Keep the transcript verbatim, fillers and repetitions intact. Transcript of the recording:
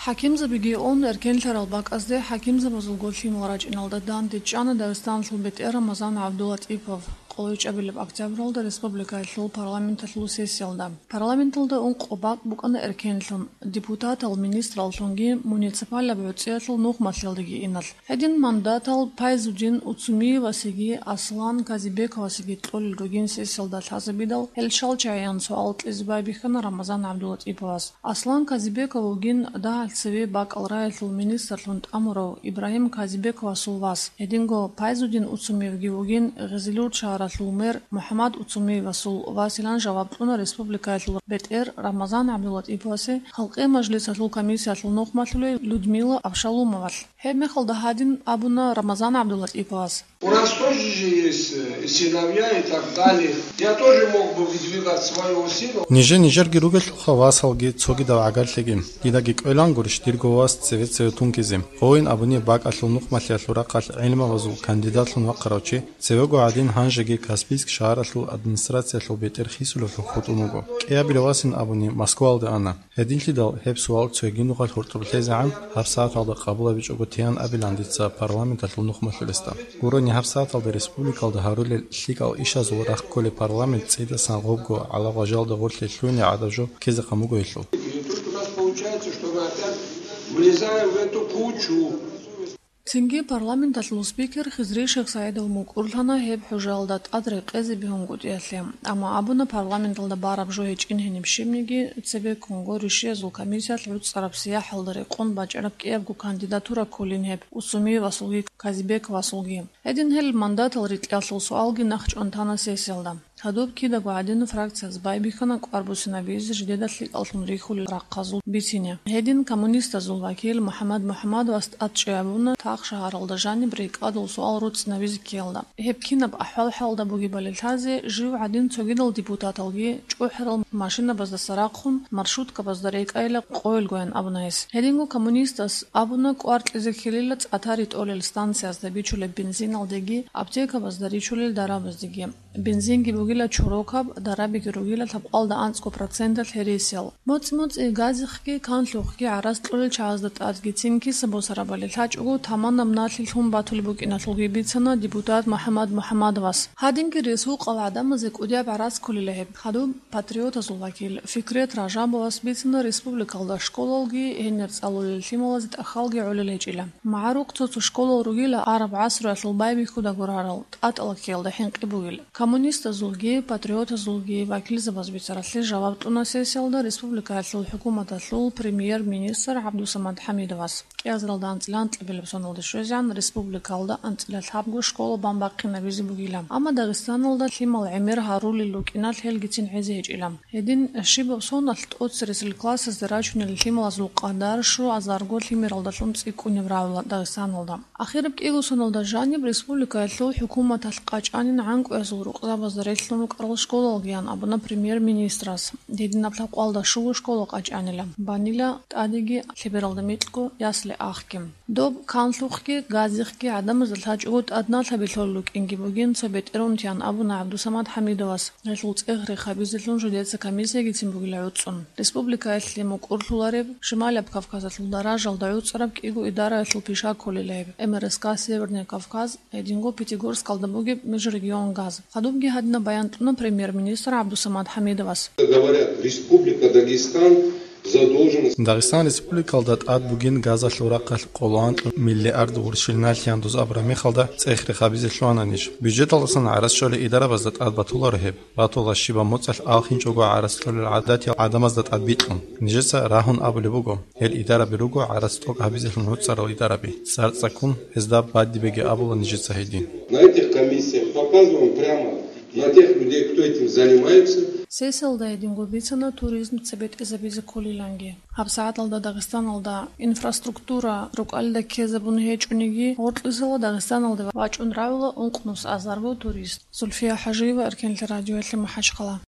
ХӀакимзабиги ун, эркенлъарал бакӀазде хӀакимзабазулго лъимал рачӀиналда дандечӀана Дагъистаналъул бетӀер Рамазан ГӀабдулатӀипов. Къоло чӀабилеб октябралда республикаялъул парламенталъул сессиялда. Парламенталда ункъо бакӀ букӀана эркенлъун, депутатал, министраллъунги муниципалаб гӀуцӀиялъул нухмалъиялдаги иналъ. Гьедин мандатал Пайзудин Уцумиевасеги Аслан Казибековасеги кьолел ругин сессиялда лъазабидал, гьел щал чагӀиян суал кьезе байбихьана Рамазан ГӀабдулатӀиповас. Аслан Казибеков вугин дагьал цеве бакӀал раялъул министрлъун тӀамурав Ибрагьим Казибековасул вас. Гьединго Пайзудин Уцумиевги вугин Гъизилюрт шагьаралъул мэр МухӀаммад Уцумиевасул василан жаваб кьуна республикаялъул бетӀер Рамазан ГӀабдулатӀиповасе халкъи мажлисалъул комиссиялъул нухмалъулей Людмила Абшалумовалъ. Гьеб мехалда гьадин абуна Рамазан ГӀабдулатӀиповас. У нас тоже же есть э, и сыновья и так далее. Я тоже мог бы выдвигать своего сына. Нижер-нижерги ругелъулха васалги цогидал гӀагарлъиги. Дидаги кӀвелангурищ дирго вас цеве-цеве тунгизе? Гъойин абуни бакӀалъул нухмалъиялъул рахъалъ гӀилмабазул кандидатлъун вахъарав чи, цевего гӀадин гьанжеги Каспийск шагьаралъул администрациялъул бетӀер хисулевлъун хутӀун вуго. КӀиабилев васин абуни Москвалде ана. Гьединлъидал гьеб суал цоги нухалъ гьоркьоб лъезегӀан гьабсагӀаталда къабулабичӀого теян абилан дица парламенталъул нухмалъулесда. Гурони гьабсагӀаталда республикалда гьарулел лъикӀал ишазул рахъ кколеб парламент цӀидасан гъобго гӀалагъважалда гъорлъе лъугьине гӀадаб жо ккезе къамуго гьелъул. И тут у нас получается, что мы опять влезаем в эту кучу. Цинги парламенталъул спикер Хизри Шихсаидов мукӀурлъана гьеб хӀужаялда тӀад рекъезе бегьунгутӀиялъе, амма абуна парламенталда бараб жо гьечӀин гьениб щибниги, цебеккунго ришиязул комиссиялъ гӀуцӀараб сияхӀалда рекъон бачӀараб кӀиябго кандидатура кколин гьеб Усумиевасулги Казибековасулги. Гьедин гьел мандатал рикьалъул суалги нахъчӀван тана сессиялда. Гьадуб кидаго гӀадин фракциялъ байбихьана кӀвар буссинабизе жидеда лъикӀаллъун рихьулел рахъазул бицине. Гьедин коммунистазул вакил МухӀаммад МухӀаммадовас тӀад чӀей абуна тахшагьаралда жаниб рекӀадул суал руцӀцӀинабизе ккеялда. Гьеб кинаб ахӀвал-хӀалда бугебали лъазе, жив гӀадин цогидал депутаталги чӀухӀарал машинабаздаса рахъун маршруткабазда рекӀайила къойилгоян абуна гьес. Гьединго коммунистас абуна кӀвар кьезе ккелила цӀатари тӀолел станциязда бичулеб бензиналдеги аптекабазда ричулел дарабаздеги. Бензинги бугила чорокаб, дарабиги ругила лъабкъалда анцӀго проценталъ гьересиял. МоцӀи-моцӀи газихъги канлъухъги гӀарац кьолел чагӀазда тӀадги цинги са босарабали лъачӀого таманаб налъи лъун батулеб букӀиналъулги бицана депутат МухӀаммад МухӀаммадовас. Гьадинги ресукъал гӀадамазе кӀудияб гӀарац кколила гьеб. Гьадуб патриотазул вакил Фикрет Ражабовас бицана республикалда школалги гьенир цӀалулел лъималазе тӀахьалги гӀолел гьечӀила. МагӀарухъ цо-цо школал ругила араб гӀасруялъул байбихьуда гурарал, тӀатӀала ккеялда хӀинкъи бугел. Коммунистазулги патриотазулги вакилзабаз бицаралъе жаваб кьуна сессиялда республикаялъул хӀукуматалъул премьер-министр ГӀабдусамад ХӀамидовас. КӀиазаралда анцӀила анкьабилеб соналда щвезегӀан республикалда анцӀила лъабго школа бан бахъинабизе бугила. Амма Дагъистаналда лъимал гӀемер гьарулел рукӀиналъ гьелгицин гӀезе гьечӀила. Гьедин щибаб соналъ тӀоцересел классазде рачунел лъималазул къадар щуазарго лъимералдалъун цӀикӀкӀунеб рагӀула Дагъистаналда. Ахираб кӀиго соналда жаниб республикаялъул хӀукуматалъ къачӀанин гӀанкӀуязул рукъзабазда релълъун рукӀарал школалгиян абуна премьер-министрас. Гьединаб лъабкъалда щуго школа къачӀанила, банила тӀадеги лъебералда микьго ясли ахги. Доб канлъухъги газихъги гӀадамазда лъачӀого тӀад налъаби лъолел рукӀинги бугин цо бетӀерунтиян абуна ГӀабдусамад ХӀамидовас, гьелъул цӀех-рех гьабизелъун жидеца комиссиягицин бугила гӀуцӀун. Республикаялъе мукӀурлъулареб, Шималаб Кавказалъул даражалда гӀуцӀараб кӀиго идараялъул пиша кколила гьеб: М Р С К Северный Кавказ, гьединго Пятигорскалда бугеб межрегионгаз. Гьадубги гьадинаб баян кьуна премьер-министр ГӀабдусамад ХӀамидовас. Говорят, Республика Дагестан задолженность. Дагъистан Республикалда тӀад бугин газалъул рахъалъ къоло анкьа миллиард гъурщил налъи гьандуз абураб мехалда цӀех-рех гьабизе лъугьана ниж. Бюджеталдасан гӀарац щолей идарабазда тӀад батуларо гьеб. Батула щибаб моцӀалъ алхинчӀого гӀарац кьолел гӀадатиял гӀадамазда тӀад бикьун. Нижеца рагьун абулеб буго, гьел идараби руго гӀарац тӀокӀ гьабизелъун гӀуцӀарал идараби. ЦӀарцӀаккун гьезда бадибеги абула нижеца гьедин. На этих комиссиях показываем прямо на тех людей, кто этим занимается. Сессиялда гьединго бицана туризм цебетӀезабизе кколиланги. ГьабсагӀаталда Дагъистаналда инфраструктура рукӀалда ккезабун гьечӀониги, гъоркьисала Дагъистаналде вачӀун рагӀула ункънус азарго турист. Зульфия ХӀажиева, Эркенлъи радиоялъе, МахӀачхъала.